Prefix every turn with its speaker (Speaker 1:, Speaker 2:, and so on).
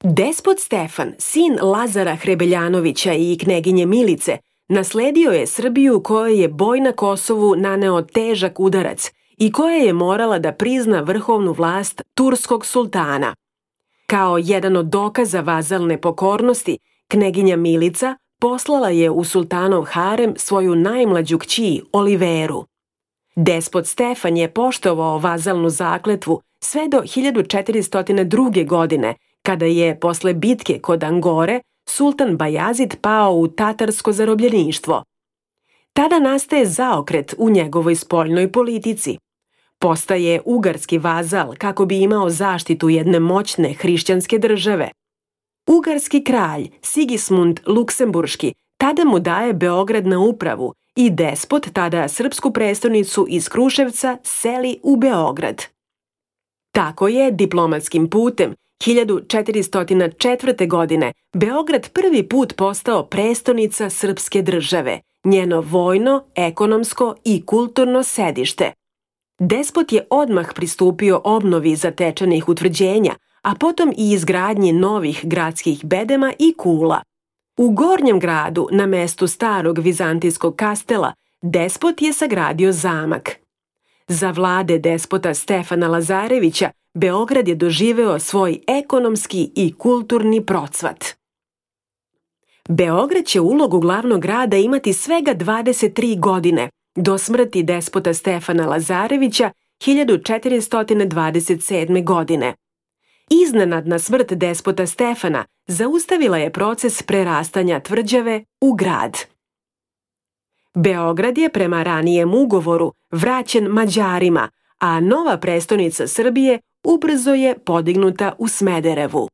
Speaker 1: Despot Stefan, sin Lazara Hrebeljanovića i kneginje Milice, nasledio je Srbiju kojoj je boj na Kosovu naneo težak udarac i koja je morala da prizna vrhovnu vlast turskog sultana. Kao jedan od dokaza vazalne pokornosti, kneginja Milica poslala je u sultanov harem svoju najmlađu kći Oliveru. Despot Stefan je poštovao vazalnu zakletvu sve do 1402. godine, kada je posle bitke kod Angore sultan Bajazid pao u tatarsko zarobljeništvo. Tada nastaje zaokret u njegovoj spoljnoj politici. Postaje ugarski vazal kako bi imao zaštitu jedne moćne hrišćanske države. Ugarski kralj Sigismund Luksemburški tada mu daje Beograd na upravu i despot tada srpsku prestonicu iz Kruševca seli u Beograd. Tako je diplomatskim putem 1404. godine Beograd prvi put postao prestonica srpske države, njeno vojno, ekonomsko i kulturno sedište. Despot je odmah pristupio obnovi zatečenih utvrđenja, a potom i izgradnji novih gradskih bedema i kula. U Gornjem gradu, na mestu starog vizantijskog kastela, despot je sagradio zamak. Za vlade despota Stefana Lazarevića, Beograd je doživeo svoj ekonomski i kulturni procvat. Beograd će ulogu glavnog grada imati svega 23 godine, do smrti despota Stefana Lazarevića 1427. godine. Iznenadna smrt despota Stefana zaustavila je proces prerastanja tvrđave u grad. Beograd je prema ranijem ugovoru vraćen Mađarima, a nova prestonica Srbije ubrzo je podignuta u Smederevu.